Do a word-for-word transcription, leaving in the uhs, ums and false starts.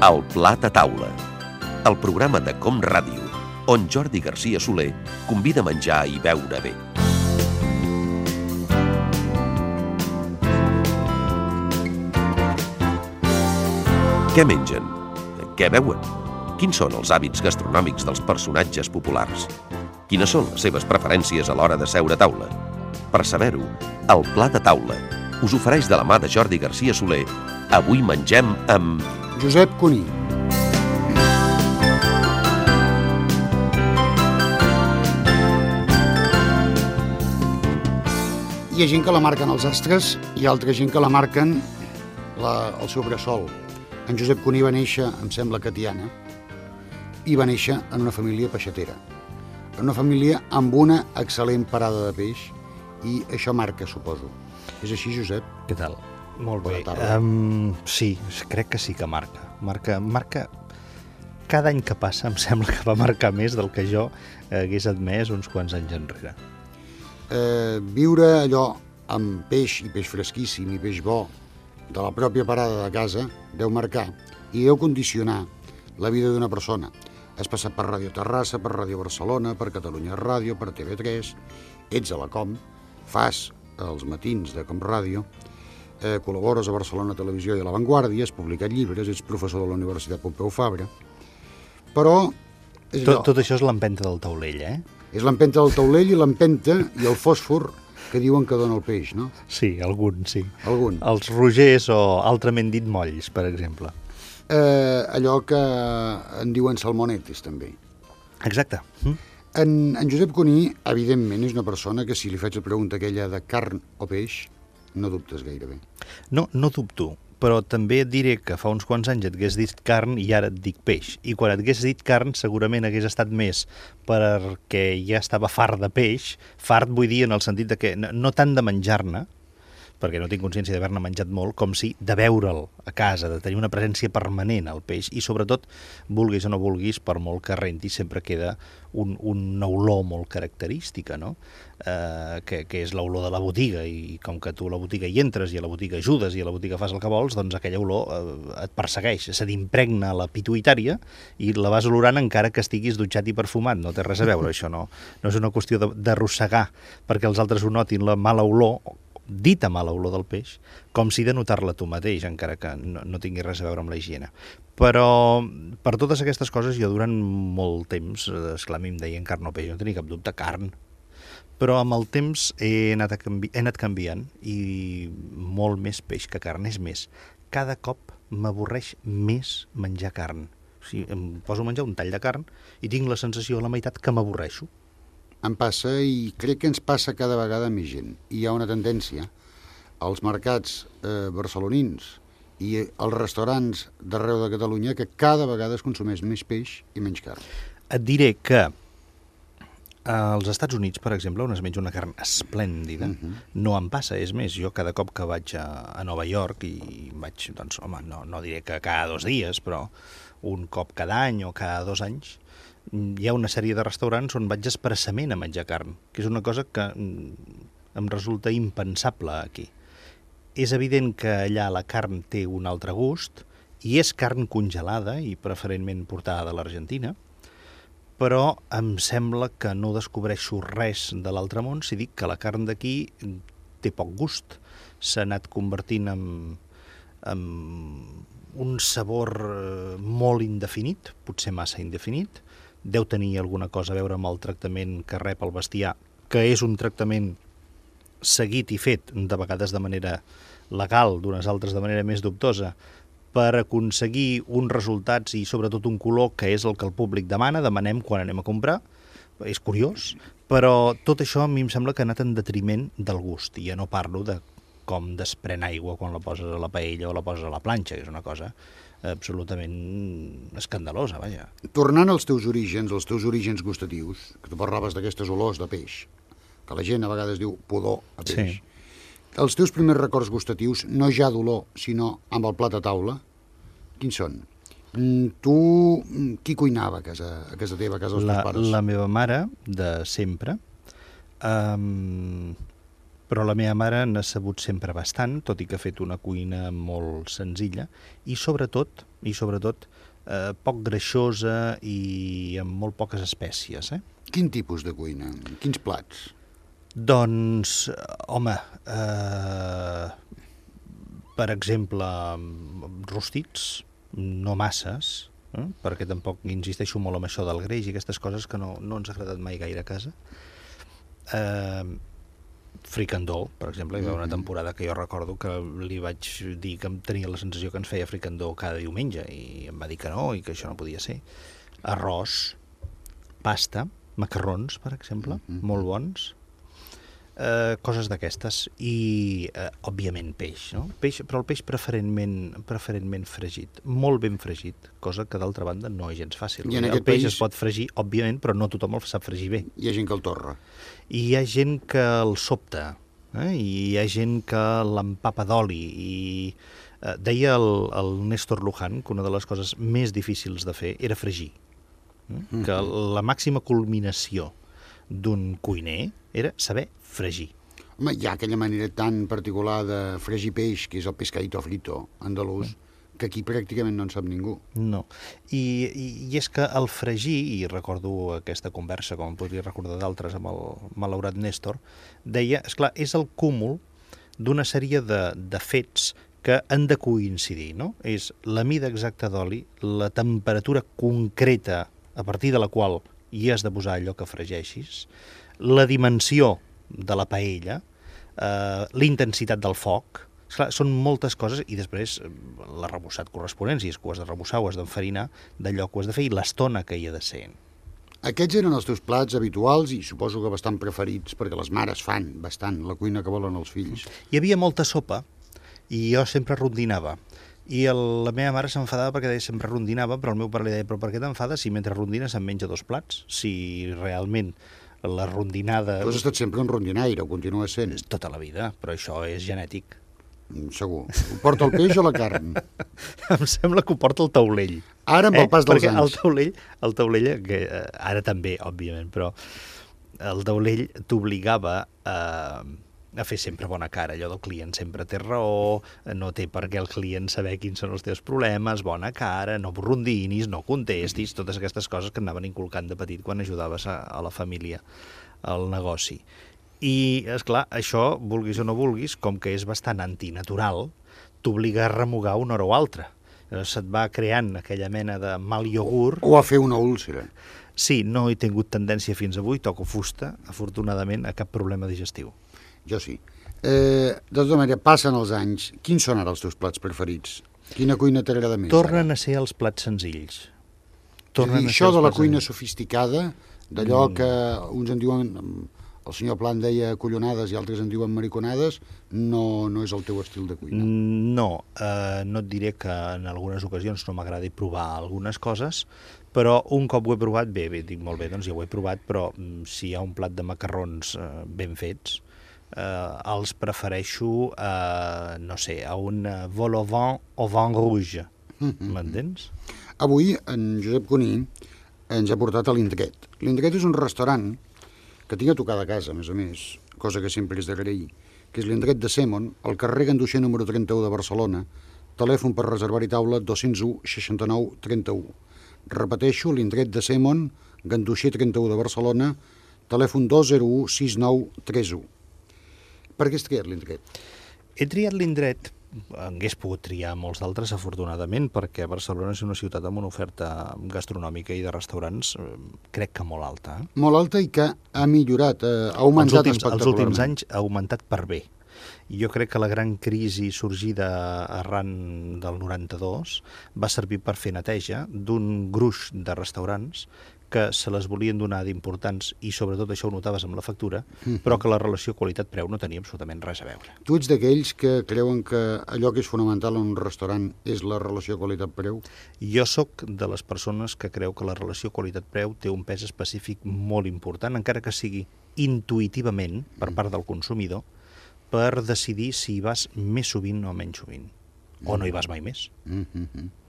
El Plat a Taula, el programa de Com Ràdio, on Jordi Garcia Soler convida a menjar i beure bé. Què mengen? Què beuen? Quins són els hàbits gastronòmics dels personatges populars? Quines són les seves preferències a l'hora de seure a taula? Per saber-ho, el Plat a Taula us ofereix de la mà de Jordi Garcia Soler. Avui mengem amb... Josep Cuní. Hi ha gent que la marquen els astres i altra gent que la marquen la, el seu bressol. En Josep Cuní va néixer, em sembla que a Tiana, i va néixer en una família peixatera. En una família amb una excel·lent parada de peix, i això marca, suposo. És així, Josep? Què tal? Molt bé. Bona Um, sí, crec que sí que marca. Marca, marca... Cada any que passa em sembla que va marcar més del que jo hagués admès uns quants anys enrere. Eh, viure allò amb peix, i peix fresquíssim, i peix bo, de la pròpia parada de casa, deu marcar i deu condicionar la vida d'una persona. Has passat per Ràdio Terrassa, per Ràdio Barcelona, per Catalunya Ràdio, per T V tres, ets a la Com, fas els matins de Com Ràdio, eh, col·labores a Barcelona Televisió i a La Vanguardia, has publicat llibres, ets professor de la Universitat Pompeu Fabra, però... És tot, tot això és l'empenta del taulell, eh? És l'empenta del taulell i l'empenta i el fòsfor que diuen que dona el peix, no? Sí, algun, sí. Algun. Els rogers o, altrament dit, molls, per exemple. Eh, allò que en diuen salmonetes, també. Exacte. Mm. En, en Josep Cuní, evidentment, és una persona que si li faig la pregunta aquella de carn o peix, no dubtes gairebé. No, no dubto, però també et diré que fa uns quants anys et hagués dit carn i ara et dic peix. I quan et hagués dit carn segurament hagués estat més perquè ja estava fart de peix, fart vull dir en el sentit de que no, no tant de menjar-ne, perquè no tinc consciència d'haver-ne menjat molt, com si de veure'l a casa, de tenir una presència permanent al peix, i sobretot, vulguis o no vulguis, per molt que renti, sempre queda un, una olor molt característica, no? Eh, que, que és l'olor de la botiga, i com que tu a la botiga hi entres, i a la botiga ajudes, i a la botiga fas el que vols, doncs aquella olor eh, et persegueix, se t'impregna la pituïtària, i la vas olorant encara que estiguis dutxat i perfumat, no té res a veure, això no, no és una qüestió d'arrossegar perquè els altres ho notin la mala olor, dita mala olor del peix, com si de notar-la tu mateix, encara que no, no tingui res a veure amb la higiene. Però per totes aquestes coses jo durant molt temps, esclar, a mi em deien carn o peix, no tenia cap dubte, carn. Però amb el temps he anat, a canvi... he anat canviant i molt més peix que carn. És més, cada cop m'avorreix més menjar carn. O sigui, em poso a menjar un tall de carn i tinc la sensació a la meitat que m'avorreixo. Em passa, i crec que ens passa cada vegada més gent. Hi ha una tendència als mercats eh, barcelonins i als restaurants d'arreu de Catalunya que cada vegada es consumeix més peix i menys carn. Et diré que als Estats Units, per exemple, on es menja una carn esplèndida, uh-huh. no em passa. És més, jo cada cop que vaig a, a Nova York, i vaig, doncs, home, no, no diré que cada dos dies, però un cop cada any o cada dos anys, hi ha una sèrie de restaurants on vaig expressament a menjar carn, que és una cosa que em resulta impensable aquí. És evident que allà la carn té un altre gust, i és carn congelada i preferentment portada de l'Argentina, però em sembla que no descobreixo res de l'altre món si dic que la carn d'aquí té poc gust. S'ha anat convertint en, en un sabor molt indefinit, potser massa indefinit. Deu tenir alguna cosa a veure amb el tractament que rep el bestiar, que és un tractament seguit i fet, de vegades de manera legal, d'unes altres de manera més dubtosa, per aconseguir uns resultats i sobretot un color que és el que el públic demana, demanem quan anem a comprar. És curiós, però tot això a mi em sembla que ha anat en detriment del gust, i ja no parlo de com desprèn aigua quan la poses a la paella o la poses a la planxa, que és una cosa absolutament escandalosa, vaja. Tornant als teus orígens, als teus orígens gustatius, que tu parlaves d'aquestes olors de peix, que la gent a vegades diu pudor a peix. Sí. Els teus primers records gustatius, no ja d'olor, sinó amb el plat a taula, quins són? Tu, qui cuinava a casa, a casa teva, a casa dels la, teus pares? La meva mare, de sempre, um, Però la meva mare n'ha sabut sempre bastant, tot i que ha fet una cuina molt senzilla, i sobretot, i sobretot eh, poc greixosa i amb molt poques espècies. Eh? Quin tipus de cuina? Quins plats? Doncs, home, eh, per exemple, rostits, no masses, eh? Perquè tampoc insisteixo molt en això del greix i aquestes coses que no, no ens ha agradat mai gaire a casa. Eh, fricandó, per exemple, hi va haver una temporada que jo recordo que li vaig dir que em tenia la sensació que ens feia fricandó cada diumenge i em va dir que no i que això no podia ser. Arròs, pasta, macarrons, per exemple, mm-hmm. molt bons, eh, coses d'aquestes i, eh, òbviament, peix, no? Peix, però el peix preferentment, preferentment fregit, molt ben fregit, cosa que d'altra banda no és gens fàcil. I en el aquest peix país es pot fregir, òbviament, però no tothom el sap fregir bé. hi ha gent que el torra. I hi ha gent que el sobta, eh? I hi ha gent que l'empapa d'oli. I eh, deia el, el Néstor Luján que una de les coses més difícils de fer era fregir. Eh? Mm-hmm. Que la màxima culminació d'un cuiner era saber fregir. Home, hi ha aquella manera tan particular de fregir peix, que és el pescadito frito andalús, mm. que aquí pràcticament no en sap ningú. No. I, i, i és que el fregir, i recordo aquesta conversa, com em podria recordar d'altres amb el malaurat Néstor, deia, esclar, és el cúmul d'una sèrie de, de fets que han de coincidir, no? És la mida exacta d'oli, la temperatura concreta a partir de la qual hi has de posar allò que fregeixis, la dimensió de la paella, eh, la intensitat del foc. Esclar, són moltes coses i després l'arrebossat corresponent, si és que ho has de rebossar o has d'enfarinar d'allò que ho has de fer i l'estona que hi ha de ser. Aquests eren els teus plats habituals i suposo que bastant preferits, perquè les mares fan bastant la cuina que volen els fills. Hi havia molta sopa i jo sempre rondinava. I el, la meva mare s'enfadava perquè deia sempre rondinava, però el meu pare li deia, però per què t'enfades si mentre rondines se'n menja dos plats? Si realment la rondinada... Tu has estat sempre un rondinaire, ho continues sent. Tota la vida, però això és genètic. Segur. Ho porta el peix o la carn? Em sembla que ho porta el taulell. Ara amb el pas dels Perquè anys. El taulell, el taulell que, eh, ara també, òbviament, però el taulell t'obligava a, a fer sempre bona cara. Allò del client sempre té raó, no té per què el client saber quins són els teus problemes, bona cara, no rondinis, no contestis, totes aquestes coses que anaven inculcant de petit quan ajudaves a, a la família al negoci. I, esclar, això, vulguis o no vulguis, com que és bastant antinatural, t'obliga a remugar una hora o altra. Se't va creant aquella mena de mal iogurt. O a fer una úlcera. Sí, no he tingut tendència fins avui, toco fusta, afortunadament, a cap problema digestiu. Jo sí. Eh, de tota manera, passen els anys. Quins són ara els teus plats preferits? Quina cuina t'agrada més? Tornen ara? a ser els plats senzills. Tornen dir, això de la cuina senzills. Sofisticada, d'allò mm. que uns en diuen... El senyor Pla en deia collonades i altres en diuen mariconades, no, no és el teu estil de cuina. No, eh, no et diré que en algunes ocasions no m'agradi provar algunes coses, però un cop ho he provat, bé, bé, dic molt bé, doncs ja ho he provat, però si hi ha un plat de macarrons eh, ben fets, eh, els prefereixo, eh, no sé, a un vol au vin au vin rouge, m'entens? Avui en Josep Cuní ens ha portat a l'Indret. L'Indret és un restaurant que tinc a tocar de casa, a més a més, cosa que sempre és d'agrair, que és l'Indret de Sèmon, al carrer Ganduxer número trenta-u de Barcelona, telèfon per reservar-hi taula dos cents u seixanta-nou trenta-u. Repeteixo, l'Indret de Sèmon, Ganduxer trenta-u de Barcelona, telèfon dos zero u sis nou tres u. Per què has triat l'Indret? He triat l'Indret, hagués pogut triar molts d'altres, afortunadament, perquè Barcelona és una ciutat amb una oferta gastronòmica i de restaurants, crec que molt alta. Eh? Molt alta i que ha millorat, eh, ha augmentat els últims, espectacularment. Els últims anys ha augmentat per bé. I jo crec que la gran crisi sorgida arran del noranta-dos va servir per fer neteja d'un gruix de restaurants que se les volien donar d'importants i sobretot això ho notaves amb la factura, mm-hmm. però que la relació qualitat-preu no tenia absolutament res a veure. Tu ets d'aquells que creuen que allò que és fonamental en un restaurant és la relació qualitat-preu? Jo sóc de les persones que creu que la relació qualitat-preu té un pes específic molt important, encara que sigui intuïtivament per part del consumidor, per decidir si hi vas més sovint o menys sovint, o no hi vas mai més. Mm-hmm.